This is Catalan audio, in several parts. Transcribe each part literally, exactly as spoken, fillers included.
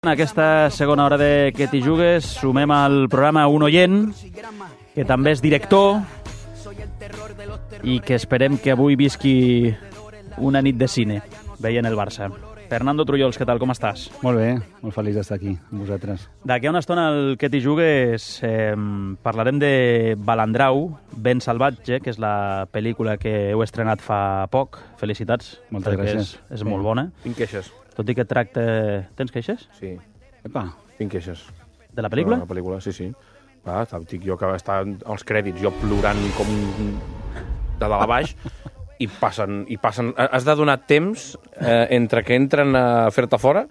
En aquesta segona hora de Que t'hi jugues sumem al programa un oient que també és director i que esperem que avui visqui una nit de cine veient el Barça. Fernando Trullols, què tal, com estàs? Molt bé, molt feliç d'estar aquí amb vosaltres. D'aquí a una estona al Que t'hi jugues eh, parlarem de Balandrau, Ben salvatge, que és la pel·lícula que heu estrenat fa poc. Felicitats. Moltes gràcies. És, és sí. molt bona. Tinc queixes. Tot i que tracta... Tens queixes? Sí. Epa. Tinc queixes. De la pel·lícula? De la pel·lícula, sí, sí. Va, estic jo que està als crèdits, jo plorant com de dalt a baix, i passen, i passen... Has de donar temps eh, entre que entren a fer-te fora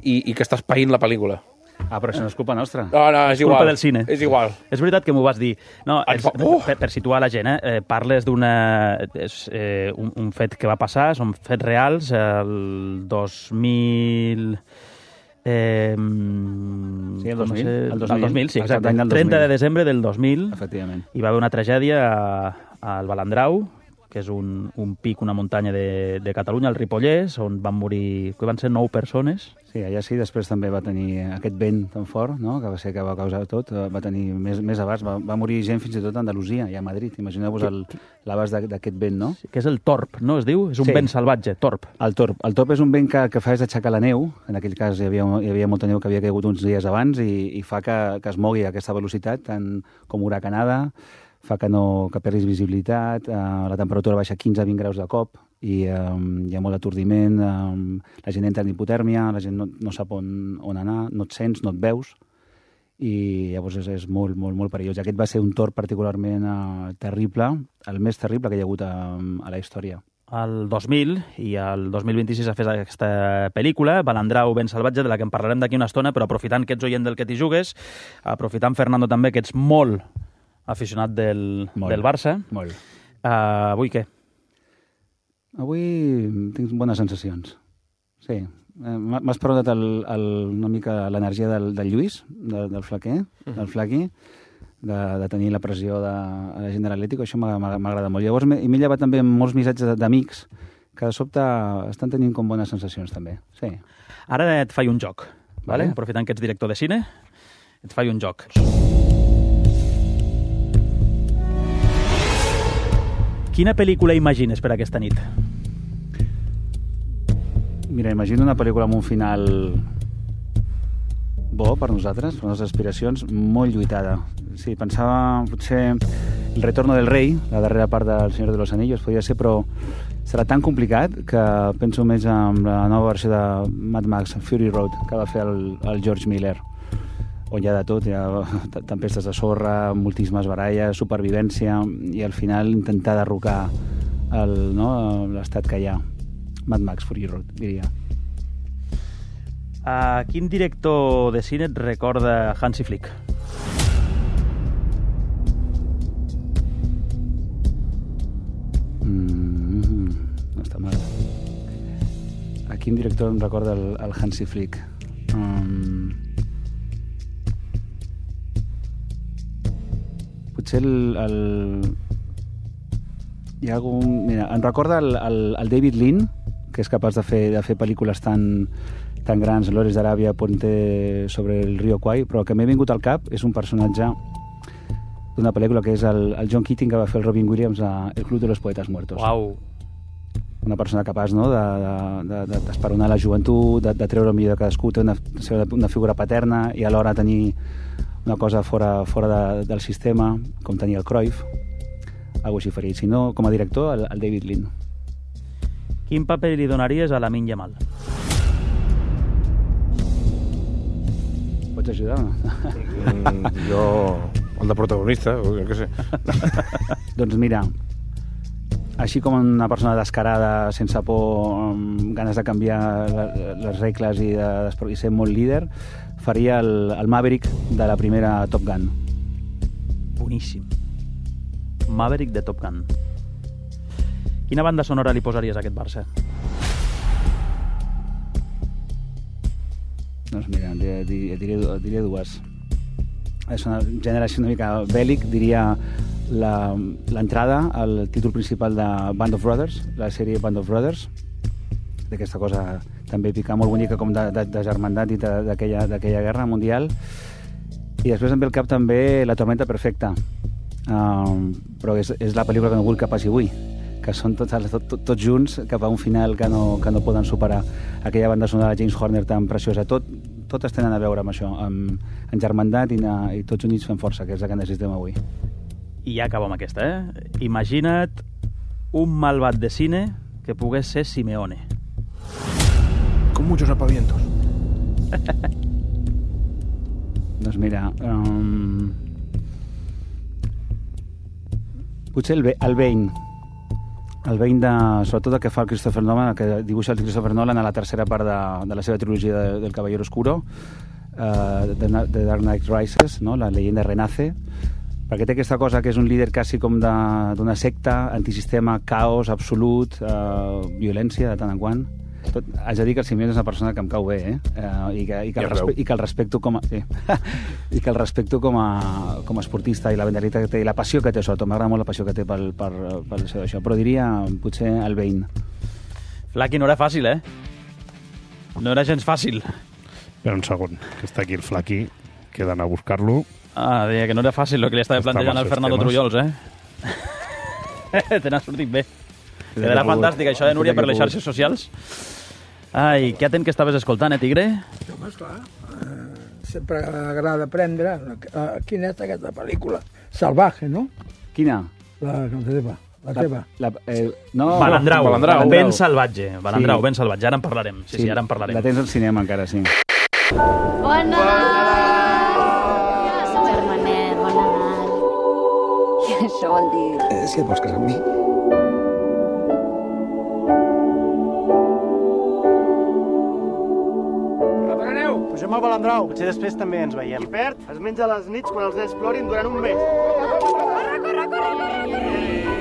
i, i que estàs païnt la pel·lícula. Ah, però això no és culpa nostra. No, no, és, és igual. culpa del cine. És igual. És veritat que m'ho vas dir. No, és, oh! per, per situar la gent, eh, parles d'una... És, eh, un, un fet que va passar, són fets reals, el dos mil... Eh, sí, el dos mil. Sé, el dos mil, el dos mil, sí, exacte. El trenta de desembre del dos mil. Efectivament. Hi va haver una tragèdia al Balandrau, que és un, un pic, una muntanya de, de Catalunya, al Ripollès, on van morir, que van ser nou persones. Sí, allà sí, després també va tenir aquest vent tan fort, no?, que va ser que va causar tot, va tenir més, més abast, va, va morir gent fins i tot a Andalusia i a Madrid. Imagineu-vos l'abast d'aquest vent, no? Sí, que és el torb, no es diu? És un sí. vent salvatge, torb. El torb. El torb és un vent que, que fa és aixecar la neu, en aquell cas hi havia, hi havia molta neu que havia caigut uns dies abans i, i fa que, que es mogui a aquesta velocitat, tant com huracanada, fa que, no, que perdis visibilitat, eh, la temperatura baixa quinze a vint graus de cop i eh, hi ha molt atordiment, eh, la gent entra en hipotèrmia, la gent no, no sap on, on anar, no et sents, no et veus, i llavors és, és molt, molt, molt perillós. Aquest va ser un torb particularment eh, terrible, el més terrible que hi ha hagut a, a la història. El dos mil i el dos mil vint-i-sis ha fet aquesta pel·lícula, Balandrau, Ben salvatge, de la que en parlarem d'aquí una estona, però aprofitant que ets oient del Que t'hi jugues, aprofitant, Fernando, també que ets molt aficionat del, molt, del Barça. Molt. Uh, avui què? Avui tinc bones sensacions. Sí. Eh, M'has preguntat el, el, una mica l'energia del, del Lluís, de, del flaquer, uh-huh. del flaqui, de, de tenir la pressió de, de la gent de l'Atlético, això m'agrada molt. Llavors m'he llevat també molts missatges d'amics que de sobte estan tenint com bones sensacions també. Sí. Ara et faig un joc, vale? Vale. Aprofitant que ets director de cine, et faig un joc. Quina pel·lícula imagines per aquesta nit? Mira, imagino una pel·lícula amb un final bo per nosaltres, per les nostres aspiracions, molt lluitada. Sí, pensava potser El retorno del rei, la darrera part del Senyor de los Anillos, podria ser, però serà tan complicat que penso més en la nova versió de Mad Max, Fury Road, que va fer el, el George Miller, on hi ha de tot, hi ha tempestes de sorra, moltíssimes baralles, supervivència, i al final intentar derrocar el, no, l'estat que hi ha. Mad Max, Fury Road, diria. A quin director de cine et recorda Hansi Flick? Mm, no està mal. A quin director em recorda el, el Hansi Flick? Um, potser el, el... Hi ha algun... Mira, em recorda el, el, el David Lean, que és capaç de fer, de fer pel·lícules tan, tan grans, Lores d'Aràbia, Puente sobre el Río Kwai, però el que m'he vingut al cap és un personatge d'una pel·lícula que és el, el John Keating, que va fer el Robin Williams a El Club de los Poetas Muertos. Uau! Una persona capaç, no?, d'esperonar la joventut, de, de treure el millor de cadascú, té una, una figura paterna i alhora tenir una cosa fora, fora de, del sistema, com tenia el Cruyff, algo així faria. Si no, com a director, el, el David Lean. Quin paper li donaries a Lamine Yamal? Pots ajudar o no? Mm, jo, el de protagonista, jo què sé. Doncs mira, així com una persona descarada, sense por, amb ganes de canviar les regles i, de, i ser molt líder, faria el, el Maverick de la primera Top Gun. Boníssim. Maverick de Top Gun. Quina banda sonora li posaries a aquest Barça? Doncs mira, diria, diria, diria dues. És una generació una mica bèl·lic, diria l'entrada al títol principal de Band of Brothers, la sèrie Band of Brothers, d'aquesta cosa també picar molt bonica com de, de, de germandat i d'aquella guerra mundial. I després em ve al cap també La tormenta perfecta, uh, però és, és la pel·lícula que no vull que passi avui, que són tots, tot, tot, tots junts cap a un final que no, que no poden superar. Aquella banda sonora de James Horner tan preciosa, tot, totes tenen a veure amb això, amb, amb germandat i, i tots units fem força, que és el que necessitem avui. I ja acabo amb aquesta, eh? Imagina't un malvat de cine que pogués ser Simeone. Con muchos apavientos. Doncs mira, um, potser el, el Bane, el Bane de, sobretot el que fa el Christopher Nolan, el que dibuixa el Christopher Nolan a la tercera part de, de la seva trilogia de, del Caballero Oscuro, uh, de, de Dark Knight Rises, no? La leyenda renace, perquè té aquesta cosa que és un líder quasi com d'una secta, antisistema, caos absolut, uh, violència de tant en quant. Tot, haig de dir que el Simeone és una persona que em cau bé, eh? Uh, i, que, i, que ja el respe i que el respecto com a, sí. i que el respecto com a, com a esportista i la vendalitat que té i la passió que té, sobretot m'agrada molt la passió que té pel, per, per això, això, però diria potser el Bane. Flaqui, no era fàcil, eh? No era gens fàcil. Espera un segon, que està aquí el Flaqui, que he d'anar a buscar-lo. Ah, deia que no era fàcil el que li estava plantejant al Fernando Trullols, eh? Te n'ha sortit bé. Quedarà fantàstic, això de Núria per les xarxes socials. Ai, què atent que estaves escoltant, eh, Tigre? Home, esclar. Uh, sempre agrada aprendre. Uh, quina és aquesta pel·lícula? Salvaje, no? Quina? La, la teva. La teva. La, eh, no, Balandrau, Balandrau. ben salvatge. Balandrau, sí. Ben salvatge. Ara en parlarem. Sí, sí, sí, ara en parlarem. La tens al cinema encara, sí. Bon Nadal! Germanet, bon Nadal. I això vol dir... Eh, si et vols casar amb mi? Pugem al Balandrau, potser després també ens veiem. Qui perd es menja les nits quan els nens plorin durant un mes. Corre, corre, corre, corre!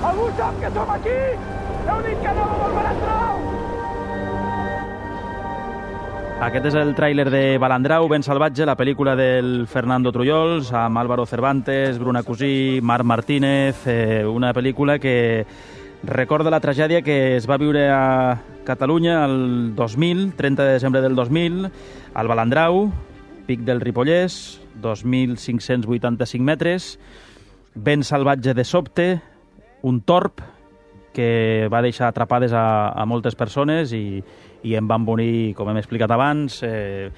Algú sap que som aquí? Heu dit que anàvem al Balandrau! Aquest és el tràiler de Balandrau, ben salvatge, la pel·lícula del Fernando Trullols, amb Álvaro Cervantes, Bruna Cusí, Marc Martínez, eh, una pel·lícula que recorda la tragèdia que es va viure a Catalunya el dos mil, trenta de desembre del dos mil, al Balandrau, pic del Ripollès, dos mil cinc-cents vuitanta-cinc metres, ben salvatge de sobte, un torb que va deixar atrapades a, a moltes persones i, i en van morir, com hem explicat abans, eh,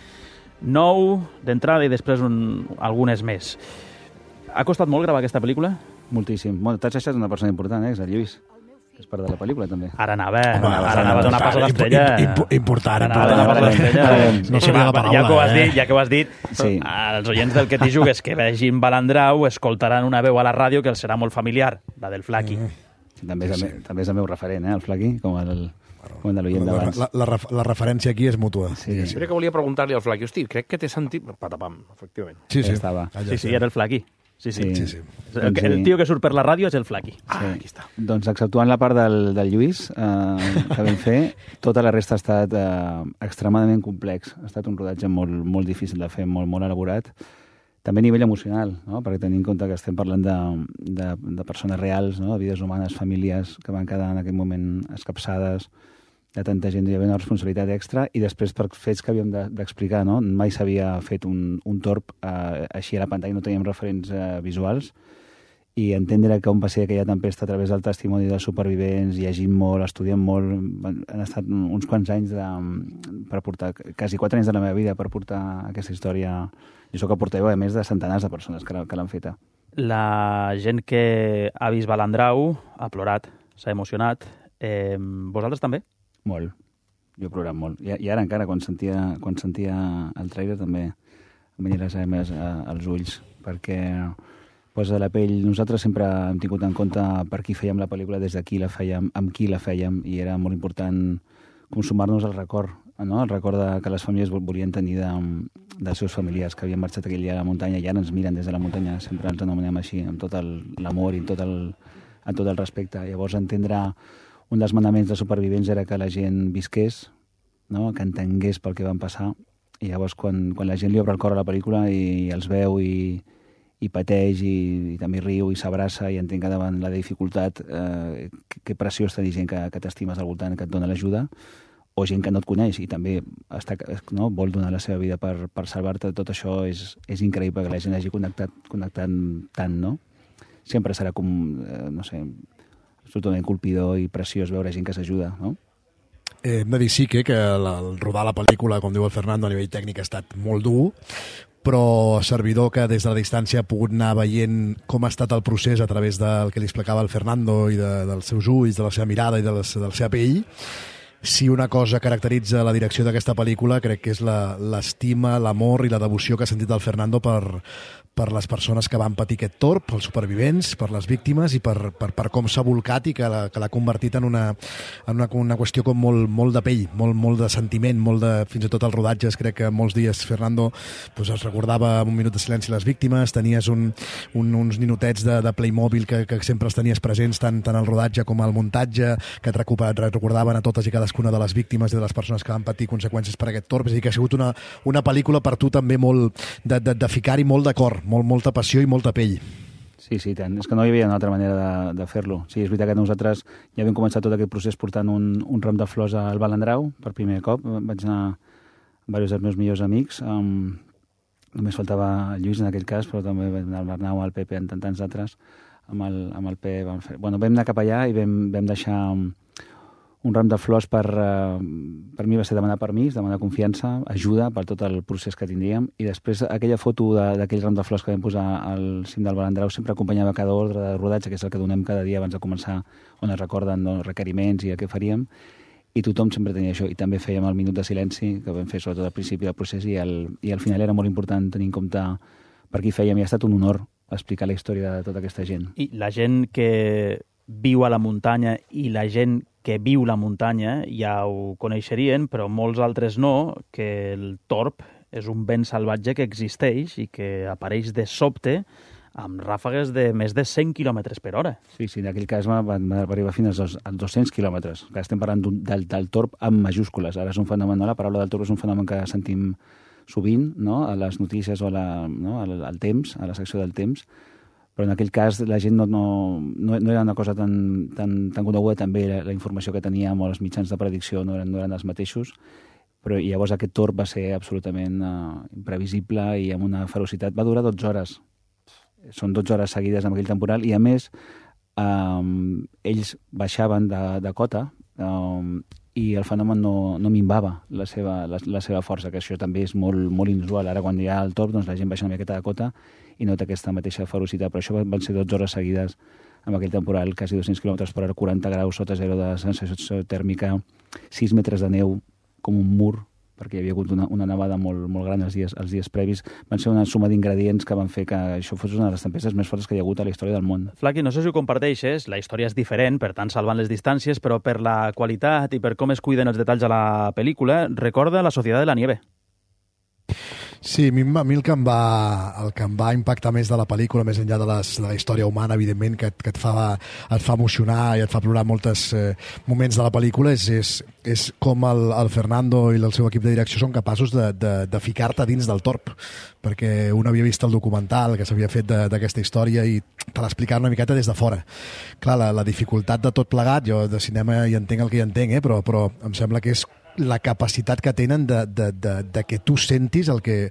nou d'entrada i després un, algunes més. Ha costat molt gravar aquesta pel·lícula? Moltíssim. Bueno, t'has deixat una persona important, eh? És el Lluís, que és part de la pel·lícula, també. Ara anava, Home, ara anava a donar pas a l'estrella. Important, Ara anava a donar pas a l'estrella. No sabia la paraula, ja que ho has eh? dit, ja que ho has dit, Sí. els oients del Que t'hi jugues que vegin Balandrau escoltaran una veu a la ràdio que els serà molt familiar, la del Flaqui. Sí, també, és el, me- també és el meu referent, eh? El Flaqui, com el, com el de l'oient La, d'abans. la, la, ref- la referència aquí és mútua. Sí, Jo crec que volia preguntar-li al Flaqui, hosti, crec que t'he sentit... Patapam, efectivament. Sí, sí. Ja estava. Allà Sí, sí, era el Flaqui. Sí, sí. Sí, sí. El, que- el tio que surt per la ràdio és el Flaqui. Ah, aquí està. Doncs exceptuant la part del, del Lluís, eh, que vam fer, tota la resta ha estat eh, extremadament complex. Ha estat un rodatge molt, molt difícil de fer, molt, molt elaborat. També a nivell emocional, no? Perquè tenint en compte que estem parlant de, de, de persones reals, no? De vides humanes, famílies que van quedar en aquell moment escapçades, de tanta gent, hi havia una responsabilitat extra, i després per fets que havíem de- d'explicar, no? Mai s'havia fet un, un torb eh, així a la pantalla, no teníem referents eh, visuals, i entendre com va ser aquella tempesta a través del testimoni dels supervivents, llegint molt, estudiant molt, van- han estat uns quants anys de, per portar, quasi quatre anys de la meva vida per portar aquesta història. Jo sóc el portaveu, a més, de centenars de persones que, l'ha- que l'han feta. La gent que ha vist Balandrau ha plorat, s'ha emocionat. Eh, vosaltres també? Molt. Jo he plorat molt. I, i ara encara, quan sentia, quan sentia el trailer, també em venien les llàgrimes als ulls, perquè posa la pell. Nosaltres sempre hem tingut en compte per qui fèiem la pel·lícula, des de qui la fèiem, amb qui la fèiem, i era molt important consumar-nos el record, no? El record de, que les famílies vol- volien tenir de, dels seus familiars que havien marxat aquell dia a la muntanya i ara ens miren des de la muntanya, sempre ens anomenem així, amb tot el- l'amor i amb tot el, amb tot el respecte. Llavors, entendre un dels manaments de supervivents era que la gent visqués, no? Que entengués pel que van passar, I llavors, quan, quan la gent li obre el cor a la pel·lícula i, i els veu i, i pateix i, i també riu i s'abraça i entén que davant la dificultat eh, que, que preciós tenir gent que, que t'estimes al voltant, que et dona l'ajuda, o gent que no et coneix i també està, no, vol donar la seva vida per, per salvar-te. Tot això és, és increïble que la gent hagi connectat, connectat tant, no? Sempre serà com, eh, no sé, absolutament colpidor i preciós veure gent que s'ajuda, no? Eh, hem de dir sí que, que la, el rodar la pel·lícula, com diu el Fernando, a nivell tècnic ha estat molt dur, però servidor que des de la distància ha pogut anar veient com ha estat el procés a través del que li explicava el Fernando i de, dels seus ulls, de la seva mirada i de la, de la seva pell. Si una cosa caracteritza la direcció d'aquesta pel·lícula, crec que és l'estima, l'amor i la devoció que ha sentit el Fernando per, per les persones que van patir aquest torb, pels supervivents, per les víctimes i per, per, per com s'ha volcat i que l'ha convertit en, una, en una, una qüestió com molt, molt de pell, molt, molt de sentiment, molt de, fins i tot els rodatges. Crec que molts dies Fernando pues, es recordava un minut de silenci les víctimes, tenies un, un, uns ninotets de, de Playmobil que, que sempre els tenies presents tant, tant al rodatge com al muntatge, que et recordaven a totes i cadascuna de les víctimes i de les persones que van patir conseqüències per aquest torb. És a dir, que ha sigut una, una pel·lícula per tu també molt de, de, de ficar-hi molt de cor, molt, molta passió i molta pell. Sí, sí, tant. És que no hi havia una altra manera de, de fer-lo. Sí, és veritat que nosaltres ja vam començar tot aquest procés portant un, un ram de flors al Balandrau per primer cop. Vaig anar amb diversos dels meus millors amics. Um, només faltava el Lluís en aquell cas, però també vam anar al Bernau, al Pepe, en tants altres. Amb el, amb el P vam fer... Bueno, vam anar cap allà i vam, vam deixar un ram de flors per, uh, per mi va ser demanar permís, demanar confiança, ajuda per tot el procés que tindríem, i després aquella foto d'aquell ram de flors que vam posar al cim del Balandrau sempre acompanyava cada ordre de rodatge, que és el que donem cada dia abans de començar, on es recorden no, requeriments i el que faríem, i tothom sempre tenia això, i també fèiem el minut de silenci, que vam fer sobretot al principi del procés, i al, i al final era molt important tenir en compte per qui fèiem, i ha estat un honor explicar la història de tota aquesta gent. I la gent que viu a la muntanya i la gent que viu la muntanya ja ho coneixerien, però molts altres no, que el torb és un vent salvatge que existeix i que apareix de sobte amb ràfegues de més de cent quilòmetres per hora. Sí, sí, en aquell cas va, va arribar fins als, als dos-cents quilòmetres. Que estem parlant del, del torb amb majúscules. Ara és un fenomen, no? La paraula del torb és un fenomen que sentim sovint, no? A les notícies o a la, no? al, al temps, a la secció del temps, però en aquell cas la gent no, no, no, no era una cosa tan, tan, tan coneguda, també la, la informació que teníem o els mitjans de predicció no eren, no eren els mateixos, però llavors aquest torb va ser absolutament uh, imprevisible i amb una ferocitat. Va durar dotze hores. Són dotze hores seguides amb aquell temporal i, a més, um, ells baixaven de, de cota um, i el fenomen no, no minvava la seva, la, la seva força, que això també és molt, molt inusual. Ara, quan hi ha el torb, doncs la gent baixa una miqueta de cota i nota aquesta mateixa ferocitat, però això van ser dotze hores seguides amb aquell temporal, quasi dos-cents quilòmetres per hora, quaranta graus sota zero de sensació tèrmica, sis metres de neu com un mur, perquè hi havia hagut una, una nevada molt, molt gran els dies, els dies previs. Van ser una suma d'ingredients que van fer que això fos una de les tempestes més fortes que hi ha hagut a la història del món. Flaqui, no sé si ho comparteixes, la història és diferent, per tant salvant les distàncies, però per la qualitat i per com es cuiden els detalls a la pel·lícula, recorda La Societat de la Nieve. Sí, a mi, a mi el, que em va, el que em va impactar més de la pel·lícula, més enllà de, les, de la història humana, evidentment, que, et, que et, fa, et fa emocionar i et fa plorar molts eh, moments de la pel·lícula, és, és, és com el, el Fernando i el seu equip de direcció són capaços de, de, de ficar-te dins del torb, perquè un havia vist el documental que s'havia fet d'aquesta història i te l'explicar una miqueta des de fora. Clar, la, la dificultat de tot plegat, jo de cinema hi entenc el que hi entenc, eh, però, però em sembla que és la capacitat que tenen de, de, de, de que tu sentis el que,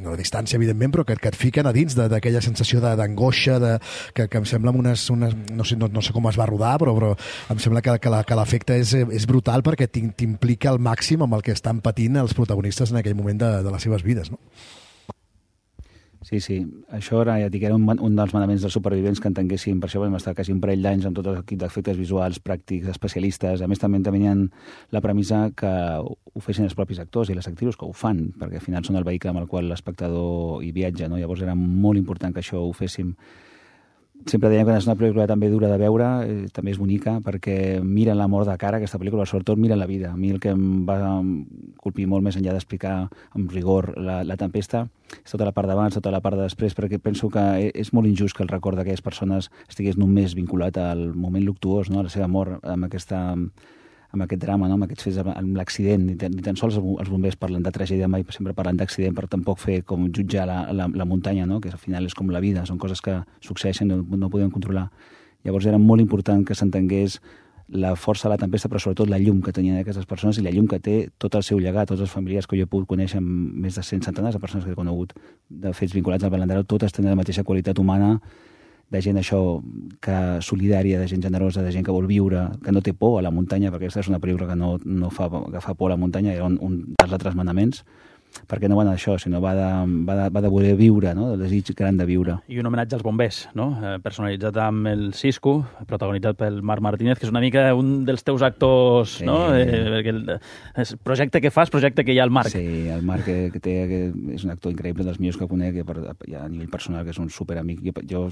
no a distància evidentment, però que, que et fiquen a dins d'aquella sensació d'angoixa, de, que, que em sembla unes, unes no, sé, no, no sé com es va rodar, però, però em sembla que, que l'efecte és, és brutal perquè t'implica al màxim amb el que estan patint els protagonistes en aquell moment de, de les seves vides, no? Sí, sí. Això era, ja dic, era un, un dels manaments dels supervivents que entenguéssim. Per això vam estar quasi un parell d'anys amb tot l'equip d'efectes visuals, pràctics, especialistes. A més, també tenien la premissa que ho fessin els propis actors i les actrius, que ho fan, perquè al final són el vehicle amb el qual l'espectador hi viatja, no? Llavors era molt important que això ho féssim. Sempre dèiem que és una pel·lícula també dura de veure, eh, també és bonica, perquè mira la mort de cara, aquesta pel·lícula, sobretot mira la vida. A mi el que em va colpir molt més enllà d'explicar amb rigor la, la tempesta és tota la part d'abans, tota la part de després, perquè penso que és molt injust que el record d'aquelles persones estigués només vinculat al moment luctuós, no? A la seva mort, amb aquesta, amb aquest drama, no? Amb aquests fets, amb l'accident. Ni, ni tan sols els bombers parlen de tragèdia, mai sempre parlen d'accident, per tampoc fer com jutjar la, la, la muntanya, no? Que al final és com la vida, són coses que succeeixen i no, no podem controlar. Llavors era molt important que s'entengués la força de la tempesta, però sobretot la llum que tenien aquestes persones i la llum que té tot el seu llegat, tots els familiars que jo he pogut conèixer, amb més de cent centenars de persones que he conegut de fets vinculats al Balandrau, totes tenen la mateixa qualitat humana, de gent això que solidària, de gent generosa, de gent que vol viure, que no té por a la muntanya, perquè aquesta és una pel·lícula que no, no fa, que fa por a la muntanya, era un, un dels altres manaments, perquè no va d'això, sinó va de, va, de, va de voler viure, no? Del desig gran de viure. I un homenatge als bombers, no? Eh, personalitzat amb el Cisco, protagonitzat pel Marc Martínez, que és una mica un dels teus actors, sí. No? Eh, perquè el, el projecte que fas, projecte que hi ha al Marc. Sí, el Marc que, que té, que és un actor increïble, dels millors que conec, que per, ja a nivell personal, que és un superamic. Jo, jo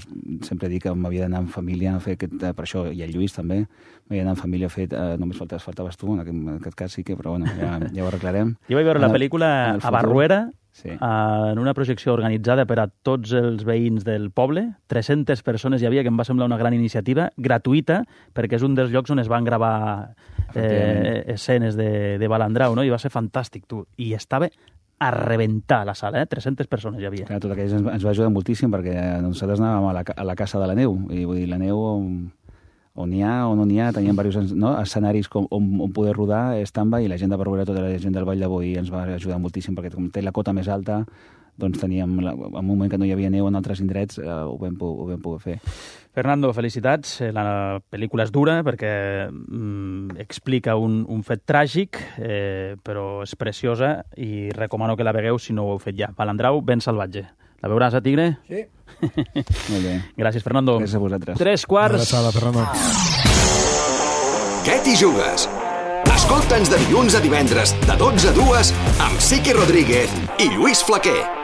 sempre dic que m'havia d'anar en família a fer aquest, per això, i el Lluís també, m'havia d'anar en família a fer, eh, només faltaves, faltaves tu, en aquest, en aquest cas sí que, però bueno, ja, ja ho arreglarem. Jo vaig veure la pel·lícula a Barruera, sí. En una projecció organitzada per a tots els veïns del poble. tres-centes persones hi havia, que em va semblar una gran iniciativa, gratuïta, perquè és un dels llocs on es van gravar eh, escenes de, de Balandrau, no? I va ser fantàstic, tu. I estava a rebentar la sala, eh? tres-centes persones hi havia. Clar, tot aquell ens, ens va ajudar moltíssim, perquè nosaltres anàvem a la, a la Casa de la Neu, i vull dir, la neu on, on n'hi ha o no n'hi ha, teníem diversos, no? escenaris com, on, on poder rodar, stand-by, i la gent de Barruera, tota la gent del Vall de Boí ens va ajudar moltíssim, perquè com té la cota més alta, doncs teníem, en un moment que no hi havia neu en altres indrets, eh, ho, vam, ho vam poder fer. Fernando, felicitats. La pel·lícula és dura perquè mm, explica un, un fet tràgic, eh, però és preciosa i recomano que la vegueu si no ho heu fet ja. Balandrau, ben salvatge. La veuràs, a Tigre? Sí. Molt bé. Gràcies, Fernando. Gràcies a vosaltres. Tres quarts. Abraçada, Fernando. Què t'hi jugues? Escolta'ns de dilluns a divendres, de dotze a dues, amb Siqui Rodríguez i Lluís Flaquer.